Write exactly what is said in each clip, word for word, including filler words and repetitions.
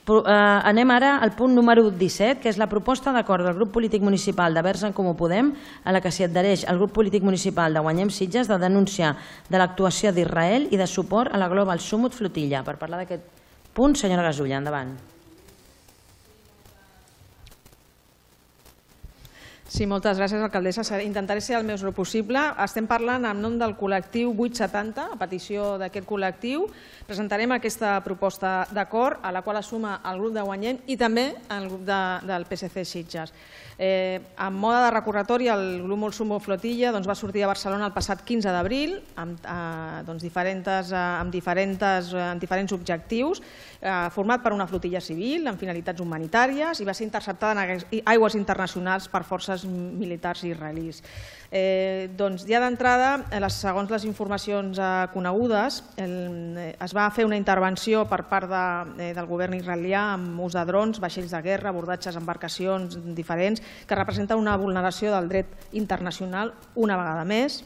Anem ara al punt número disset, que és la proposta d'acord del grup polític municipal de Verds en Comú Podem, a la que s'hi adhereix el grup polític municipal de Guanyem Sitges, de denúncia de l'actuació d'Israel i de suport a la Global Summit Flotilla. Per parlar d'aquest punt, senyora Gasulla, endavant. Sí, moltes gràcies, alcaldessa. Intentaré ser el més breu possible. Estem parlant en nom del col·lectiu vuit setanta, a petició d'aquest col·lectiu. Presentarem aquesta proposta d'acord, a la qual es suma el grup de Guanyem i també el grup del P S C Sitges. En mode de recorretori, el grup Molsumo Flotilla va sortir a Barcelona el passat quinze d'abril amb diferents objectius, format per una flotilla civil amb finalitats humanitàries i va ser interceptada en aigües internacionals per forces militars israelís. Ja d'entrada, segons les informacions conegudes, es va fer una intervenció per part del govern israelià amb ús de drons, vaixells de guerra, abordatges, embarcacions diferents, que representen una vulneració del dret internacional una vegada més.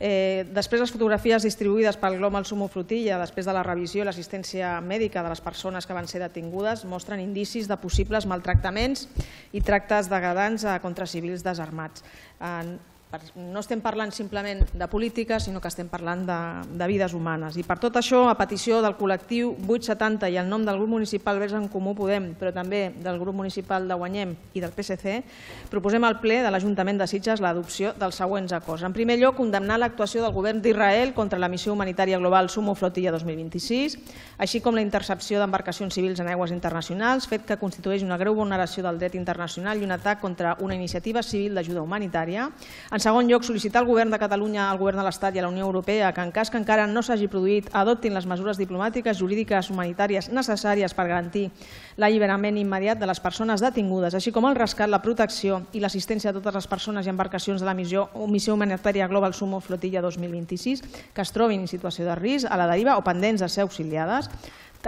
Després, les fotografies distribuïdes pel Global Summit Flotilla, després de la revisió i l'assistència mèdica de les persones que van ser detingudes, mostren indicis de possibles maltractaments i tractes degradants contra civils desarmats. No estem parlant simplement de política, sinó que estem parlant de vides humanes. I per tot això, a petició del col·lectiu vuit setanta i en nom del grup municipal Verds en Comú Podem, però també del grup municipal de Guanyem i del P S C, proposem al ple de l'Ajuntament de Sitges l'adopció dels següents acords. En primer lloc, condemnar l'actuació del govern d'Israel contra la missió humanitària global Summit Flotilla dos mil vint-i-sis, així com la intercepció d'embarcacions civils en aigües internacionals, fet que constitueix una greu vulneració del dret internacional i un atac contra una iniciativa civil d'ajuda humanitària. En segon lloc, sol·licitar al Govern de Catalunya, al Govern de l'Estat i a la Unió Europea que, en cas que encara no s'hagi produït, adoptin les mesures diplomàtiques, jurídiques, humanitàries necessàries per garantir l'alliberament immediat de les persones detingudes, així com el rescat, la protecció i l'assistència a totes les persones i embarcacions de la missió humanitària Global Summit Flotilla dos mil vint-i-sis que es trobin en situació de risc, a la deriva o pendents de ser auxiliades.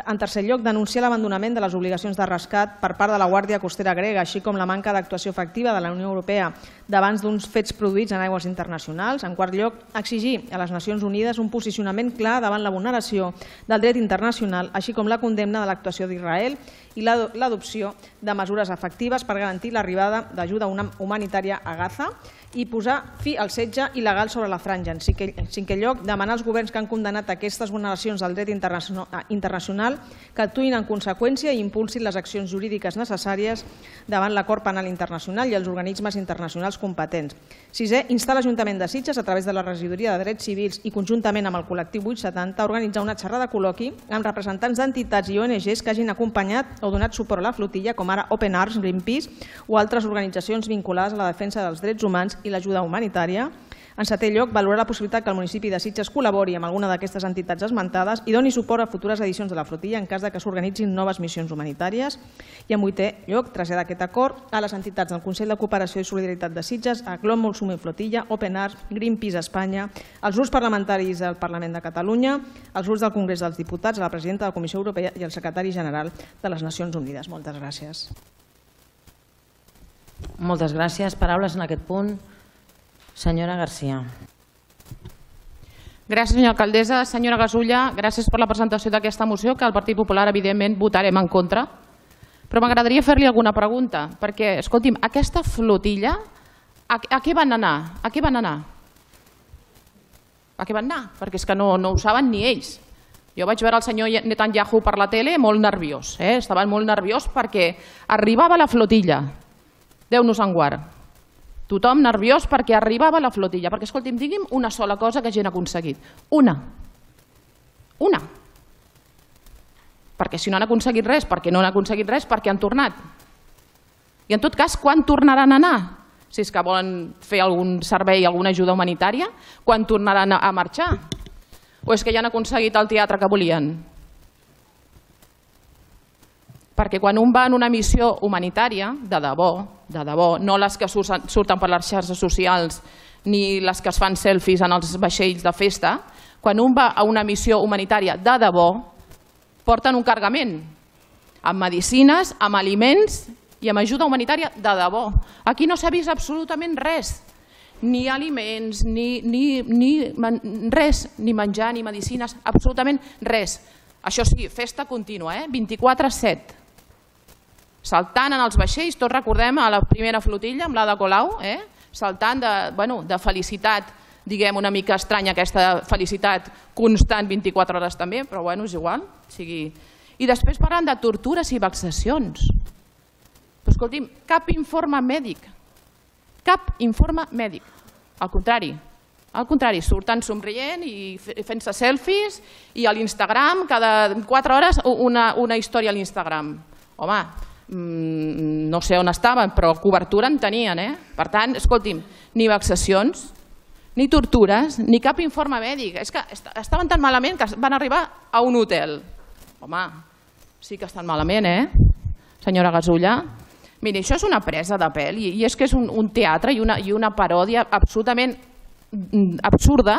En tercer lloc, denunciar l'abandonament de les obligacions de rescat per part de la Guàrdia Costera grega, així com la manca d'actuació efectiva de la Unió Europea davant d'uns fets produïts en aigües internacionals. En quart lloc, exigir a les Nacions Unides un posicionament clar davant la vulneració del dret internacional, així com la condemna de l'actuació d'Israel i l'adopció de mesures efectives per garantir l'arribada d'ajuda humanitària a Gaza i posar fi al setge il·legal sobre la franja. En cinquè lloc, demanar als governs que han condemnat aquestes vulneracions del dret internacional que actuïn en conseqüència i impulsin les accions jurídiques necessàries davant l'acord penal internacional i els organismes internacionals competents. Sisè, instar l'Ajuntament de Sitges, a través de la Regidoria de Drets Civils i conjuntament amb el col·lectiu vuit setanta, a organitzar una xerrada col·loqui amb representants d'entitats i O N Ges que hagin acompanyat o donat suport a la flotilla, com ara Open Arms, Greenpeace o altres organitzacions vinculades a la defensa dels drets humans i l'ajuda humanitària. En setè lloc, valorar la possibilitat que el municipi de Sitges col·labori amb alguna d'aquestes entitats esmentades i doni suport a futures edicions de la flotilla en cas que s'organitzin noves missions humanitàries. I en vuitè lloc, traslladar aquest acord a les entitats del Consell de Cooperació i Solidaritat de Sitges, a Global Summit Flotilla, Open Arms, Greenpeace Espanya, als grups parlamentaris del Parlament de Catalunya, als grups del Congrés dels Diputats, a la presidenta de la Comissió Europea i al secretari general de les Nacions Unides. Moltes gràcies. Moltes gràcies. Paraules en aquest punt. Senyora Garcia. Gràcies, senyora alcaldessa. Senyora Gasulla, gràcies per la presentació d'aquesta moció, que el Partit Popular, evidentment, votarem en contra. Però m'agradaria fer-li alguna pregunta, perquè, escolti'm, aquesta flotilla, a, a què van anar? A què van anar? A què van anar? Perquè és que no, no ho saben ni ells. Jo vaig veure el senyor Netanyahu per la tele molt nerviós. Eh? Estaven molt nerviós perquè arribava la flotilla. Déu-nos en guard. Tothom nerviós perquè arribava la flotilla. Perquè, escolti'm, digui'm una sola cosa que hagin aconseguit. Una. Una. Perquè si no han aconseguit res, perquè no han aconseguit res, perquè han tornat. I en tot cas, quan tornaran a anar? Si és que volen fer algun servei, alguna ajuda humanitària, quan tornaran a marxar? O és que ja han aconseguit el teatre que volien? Perquè quan un va en una missió humanitària, de debò, de debò, no les que surten per les xarxes socials ni les que es fan selfies en els vaixells de festa, quan un va a una missió humanitària de debò, porten un cargament amb medicines, amb aliments i amb ajuda humanitària de debò. Aquí no s'ha vist absolutament res, ni aliments, ni, ni, ni res, ni menjar, ni medicines, absolutament res. Això sí, festa contínua, eh? vint-i-quatre set. saltant en els vaixells, tots recordem a la primera flotilla amb l'Ada Colau, saltant de felicitat, diguem una mica estranya aquesta felicitat constant vint-i-quatre hores també, però bueno, és igual. I després parlant de tortures i vexacions. Però escolti'm, cap informe mèdic, cap informe mèdic. Al contrari, al contrari, surten somrient i fent-se selfies i a l'Instagram, cada quatre hores una història a l'Instagram. Home, no sé on estaven, però cobertura en tenien, eh? Per tant, escolti'm, ni vexacions, ni tortures, ni cap informe mèdic. És que estaven tan malament que van arribar a un hotel. Home, sí que estan malament, eh, senyora Gasulla? Miri, això és una presa de pèl i és que és un teatre i una paròdia absolutament absurda.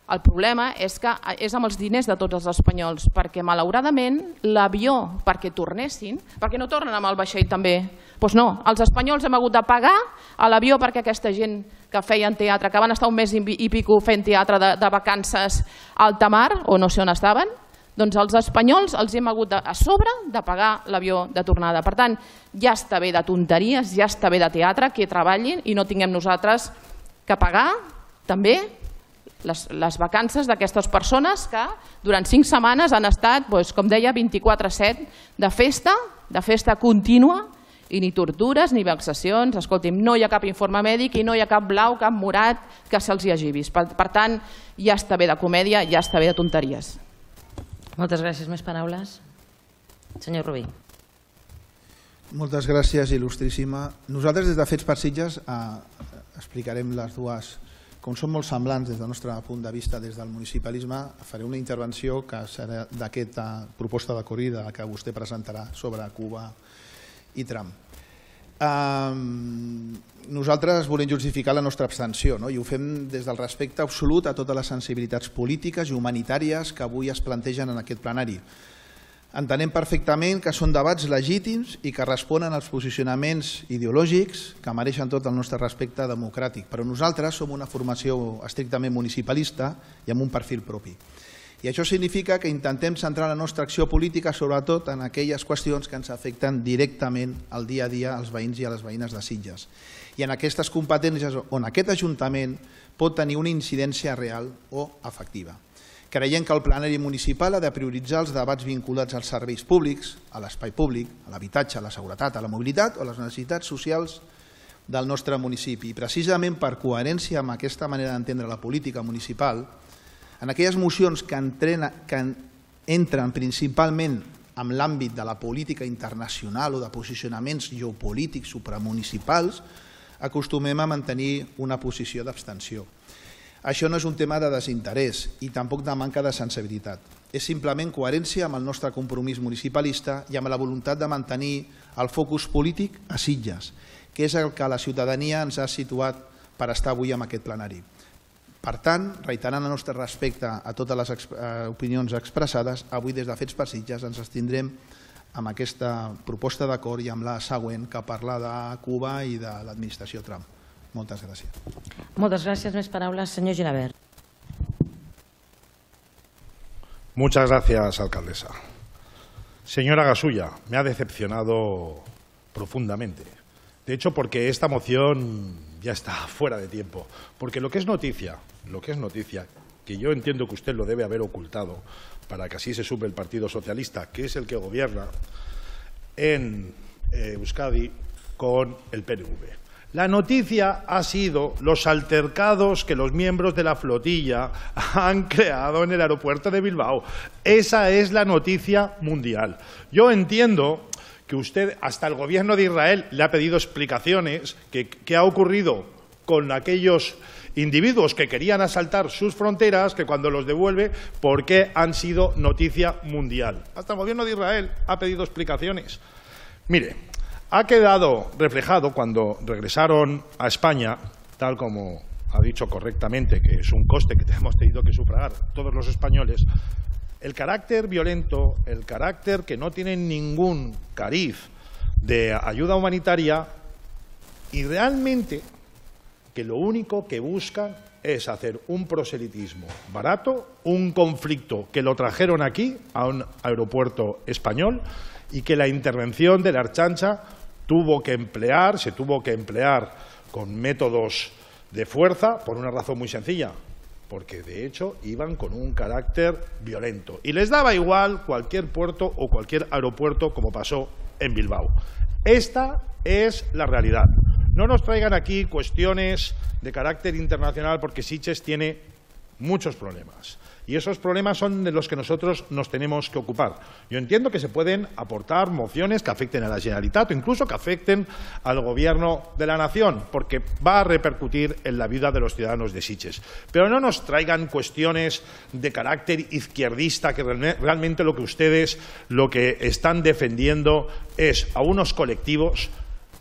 El problema és que és amb els diners de tots els espanyols, perquè malauradament l'avió perquè tornessin, perquè no tornen amb el vaixell també, doncs no, els espanyols hem hagut de pagar a l'avió perquè aquesta gent que feien teatre, que van estar un mes i pico fent teatre de vacances a alta mar, o no sé on estaven, doncs els espanyols els hem hagut a sobre de pagar l'avió de tornada. Per tant, ja està bé de tonteries, ja està bé de teatre, que treballin i no tinguem nosaltres que pagar també les vacances d'aquestes persones que durant cinc setmanes han estat, com deia, vint-i-quatre set de festa, de festa contínua, i ni tortures ni vexacions. Escolti'm, no hi ha cap informe mèdic i no hi ha cap blau, cap morat que se'ls hi hagi vist. Per tant, ja està bé de comèdia, ja està bé de tonteries. Moltes gràcies. Més paraules? Senyor Rubí. Moltes gràcies, il·lustríssima. Nosaltres des de Fets per Sitges explicarem les dues. Com són molt semblants des del nostre punt de vista des del municipalisme, faré una intervenció que serà d'aquesta proposta de corrida que vostè presentarà sobre Cuba i Trump. Nosaltres volem justificar la nostra abstenció i ho fem des del respecte absolut a totes les sensibilitats polítiques i humanitàries que avui es plantegen en aquest plenari. Entenem perfectament que són debats legítims i que responen als posicionaments ideològics que mereixen tot el nostre respecte democràtic, però nosaltres som una formació estrictament municipalista i amb un perfil propi. I això significa que intentem centrar la nostra acció política sobretot en aquelles qüestions que ens afecten directament al dia a dia als veïns i a les veïnes de Sitges. I en aquestes competències on aquest Ajuntament pot tenir una incidència real o efectiva. Creiem que el plenari municipal ha de prioritzar els debats vinculats als serveis públics, a l'espai públic, a l'habitatge, a la seguretat, a la mobilitat o a les necessitats socials del nostre municipi. I precisament per coherència amb aquesta manera d'entendre la política municipal, en aquelles mocions que entren principalment en l'àmbit de la política internacional o de posicionaments geopolítics supramunicipals, acostumem a mantenir una posició d'abstenció. Això no és un tema de desinterès i tampoc de manca de sensibilitat. És simplement coherència amb el nostre compromís municipalista i amb la voluntat de mantenir el focus polític a Sitges, que és el que la ciutadania ens ha situat per estar avui en aquest plenari. Per tant, reiterant el nostre respecte a totes les opinions expressades, avui des de Fets per Sitges ens abstindrem amb aquesta proposta d'acord i amb la següent que parla de Cuba i de l'administració Trump. Moltes gràcies. Moltes gràcies. Més paraules, senyor Gilabert. Muchas gracias, alcaldesa. Señora Gasulla, me ha decepcionado profundamente. De hecho, porque esta moción ya está fuera de tiempo. Porque lo que es noticia, lo que es noticia, que yo entiendo que usted lo debe haber ocultado para que así se sume el Partido Socialista, que es el que gobierna en Euskadi con el P N V. La noticia ha sido los altercados que los miembros de la flotilla han creado en el aeropuerto de Bilbao. Esa es la noticia mundial. Yo entiendo que usted, hasta el gobierno de Israel, le ha pedido explicaciones que qué ha ocurrido con aquellos individuos que querían asaltar sus fronteras, que cuando los devuelve, ¿por qué han sido noticia mundial? Hasta el gobierno de Israel ha pedido explicaciones. Mire, ha quedado reflejado cuando regresaron a España, tal como ha dicho correctamente, que es un coste que hemos tenido que sufragar todos los españoles, el carácter violento, el carácter que no tiene ningún cariz de ayuda humanitaria y realmente que lo único que buscan es hacer un proselitismo barato, un conflicto que lo trajeron aquí a un aeropuerto español y que la intervención de la Ertzaintza tuvo que emplear, se tuvo que emplear con métodos de fuerza por una razón muy sencilla, porque de hecho iban con un carácter violento y les daba igual cualquier puerto o cualquier aeropuerto, como pasó en Bilbao. Esta es la realidad. No nos traigan aquí cuestiones de carácter internacional, porque Sitges tiene muchos problemas y esos problemas son de los que nosotros nos tenemos que ocupar. Yo entiendo que se pueden aportar mociones que afecten a la Generalitat o incluso que afecten al Gobierno de la Nación, porque va a repercutir en la vida de los ciudadanos de Sitges. Pero no nos traigan cuestiones de carácter izquierdista, que realmente lo que ustedes lo que están defendiendo es a unos colectivos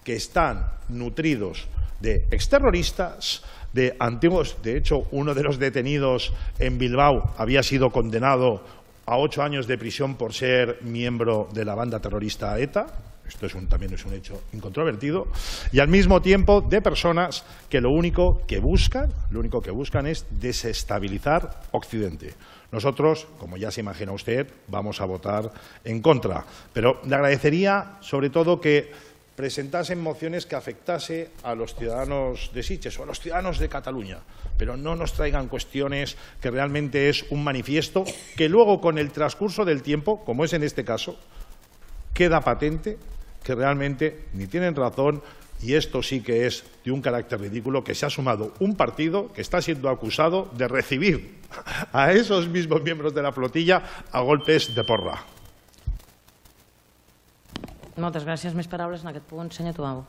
que están nutridos de exterroristas, de antiguos. De hecho, uno de los detenidos en Bilbao había sido condenado a ocho años de prisión por ser miembro de la banda terrorista ETA. Esto es un, también es un hecho incontrovertido. Y al mismo tiempo de personas que lo único que buscan, lo único que buscan es desestabilizar Occidente. Nosotros, como ya se imagina usted, vamos a votar en contra. Pero le agradecería sobre todo que presentasen mociones que afectase a los ciudadanos de Sitges o a los ciudadanos de Cataluña, pero no nos traigan cuestiones que realmente es un manifiesto que luego, con el transcurso del tiempo, como es en este caso, queda patente que realmente ni tienen razón, y esto sí que es de un carácter ridículo, que se ha sumado un partido que está siendo acusado de recibir a esos mismos miembros de la flotilla a golpes de porra. Moltes gràcies. Més paraules en aquest punt. Senyor Tuau.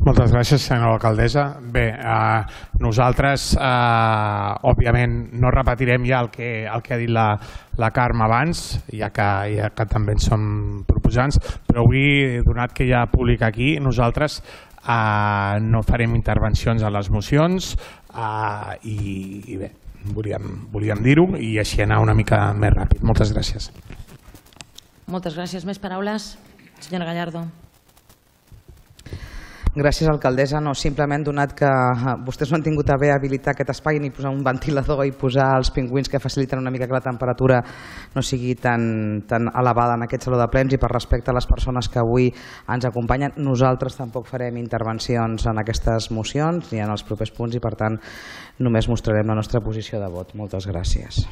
Moltes gràcies, senyora alcaldessa. Bé, eh, nosaltres, eh, òbviament, no repetirem ja el que, el que ha dit la, la Carme abans, ja que, ja que també en som proposants, però avui, donat que hi ha públic aquí, nosaltres eh, no farem intervencions a les mocions eh, i, i bé, volíem, volíem dir-ho i així anar una mica més ràpid. Moltes gràcies. Moltes gràcies. Més paraules? Senyora Gallardo. Gràcies, alcaldessa. No, simplement, donat que vostès no han tingut a bé habilitar aquest espai ni posar un ventilador i posar els pingüins que faciliten una mica que la temperatura no sigui tan, tan elevada en aquest saló de plens, i per respecte a les persones que avui ens acompanyen, nosaltres tampoc farem intervencions en aquestes mocions ni en els propers punts i, per tant, només mostrarem la nostra posició de vot. Moltes gràcies.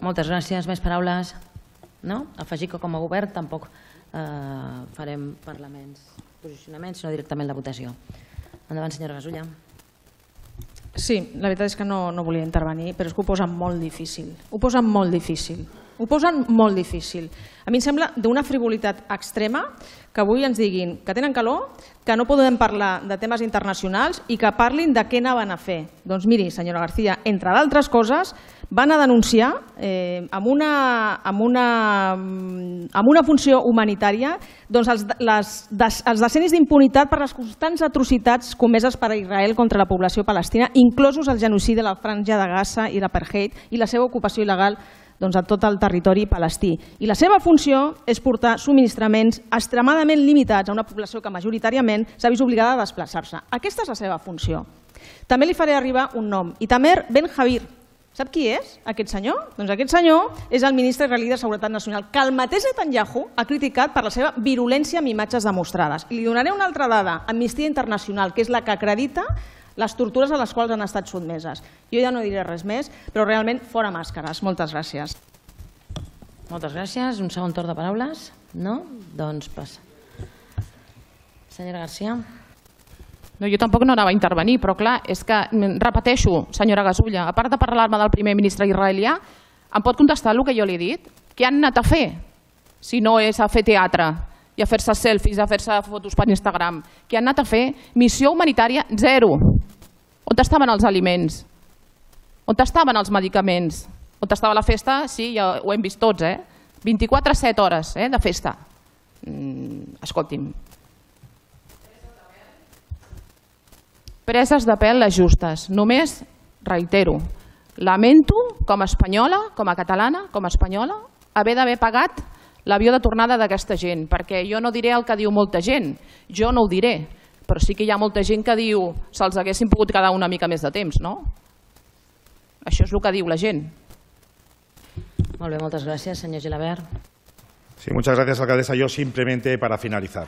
Moltes gràcies. Més paraules? No? Afegir que com a govern tampoc eh, farem parlaments, posicionaments, sinó directament la votació. Endavant, senyora Gasulla. Sí, la veritat és que no, no volia intervenir, però és que ho posen molt difícil. Ho posen molt difícil. Ho posen molt difícil. A mi em sembla d'una frivolitat extrema que avui ens diguin que tenen calor, que no podem parlar de temes internacionals i que parlin de què anaven a fer. Doncs miri, senyora García, entre d'altres coses, van a denunciar eh, amb, una, amb, una, amb una funció humanitària doncs els, les, des, els decennis d'impunitat per les constants atrocitats comeses per Israel contra la població palestina, inclosos el genocidi de la Franja de Gaza i l'apartheid i la seva ocupació il·legal doncs, a tot el territori palestí. I la seva funció és portar subministraments extremadament limitats a una població que majoritàriament s'ha vist obligada a desplaçar-se. Aquesta és la seva funció. També li faré arribar un nom, Itamar Ben-Gvir. Sap qui és aquest senyor? Doncs aquest senyor és el ministre israelí de Seguretat Nacional, que el mateix Netanyahu ha criticat per la seva virulència amb imatges demostrades. I li donaré una altra dada, Amnistia Internacional, que és la que acredita les tortures a les quals han estat sotmeses. Jo ja no diré res més, però realment fora màscares. Moltes gràcies. Moltes gràcies. Un segon torn de paraules? No? Doncs passa. Senyora García. No, jo tampoc no anava a intervenir, però clar, és que, repeteixo, senyora Gasulla, a part de parlar-me del primer ministre israelià, em pot contestar el que jo li he dit? Què han anat a fer? Si no és a fer teatre i a fer-se selfies, a fer-se fotos per Instagram. Què han anat a fer? Missió humanitària, zero. On estaven els aliments? On estaven els medicaments? On estava la festa? Sí, ja ho hem vist tots, eh? vint-i-quatre set hores eh, de festa. Mm, escolti'm. Preses de pèl les justes. Només, reitero, lamento com a espanyola, com a catalana, com a espanyola, haver d'haver pagat l'avió de tornada d'aquesta gent, perquè jo no diré el que diu molta gent, jo no ho diré, però sí que hi ha molta gent que diu se'ls haguessin pogut quedar una mica més de temps, no? Això és el que diu la gent. Molt bé, moltes gràcies. Senyor Gilabert. Sí, muchas gracias, alcaldesa. Yo simplemente para finalizar.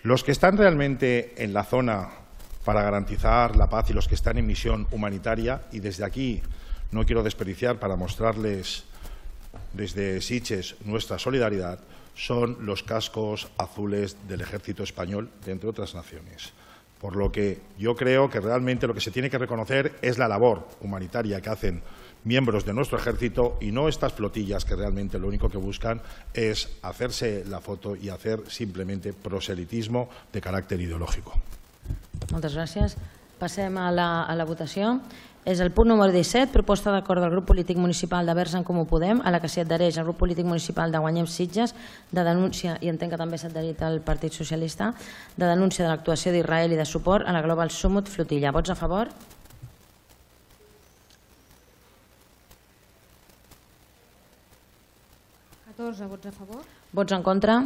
Los que están realmente en la zona para garantizar la paz y los que están en misión humanitaria, y desde aquí no quiero desperdiciar para mostrarles desde Sitges nuestra solidaridad, son los cascos azules del Ejército Español, de entre otras naciones. Por lo que yo creo que realmente lo que se tiene que reconocer es la labor humanitaria que hacen miembros de nuestro ejército y no estas flotillas que realmente lo único que buscan es hacerse la foto y hacer simplemente proselitismo de carácter ideológico. Moltes gràcies. Passem a la, a la votació. És el punt número disset, proposta d'acord del grup polític municipal de Verds en Comú Podem, a la que s'hi adhereix el grup polític municipal de Guanyem Sitges, de denúncia, i entenc que també s'ha adherit el Partit Socialista, de denúncia de l'actuació d'Israel i de suport a la Global Summit Flotilla. Vots a favor? catorze vots a favor. Vots en contra?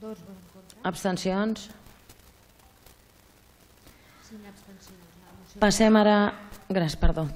dos vots en contra. Abstencions? cinc abstencions. Passem ara... Gràcies, perdó.